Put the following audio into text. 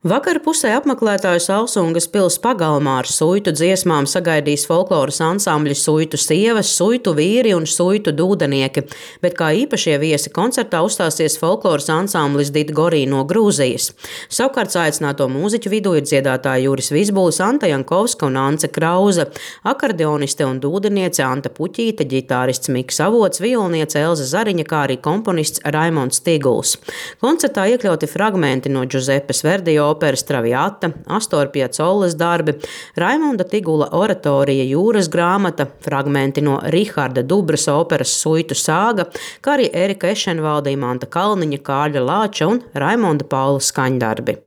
Vakara pusē apmeklētājus Alsungas pils pagalmā ar suitu dziesmām sagaidīs folkloras ansambļi Suitu sievas, Suitu vīri un Suitu dūdenieki, bet kā īpašie viesi koncertā uzstāsies folkloras ansamblis Didgorī no Grūzijas. Savukārt aicināto mūziķu vidū ir dziedātāji Juris Vizbulis, Anta Jankovska un Ance Krauze, akordeoniste un dūdeniece Anta Puķīte, ģitārists Miks Avots, violniece Elza Zariņa, kā arī komponists Raimonds Tiguls. Koncertā iekļauti fragmenti no Džuzepes Verdi operas Traviata, Astor Piacolas darbi, Raimonda Tigula oratorija Jūras grāmata, fragmenti no Riharda Dubras operas Suitu sāga, kā arī Erika Ešenvalda, Imanta Kalniņa, Kārļa Lāča un Raimonda Paula skaņdarbi.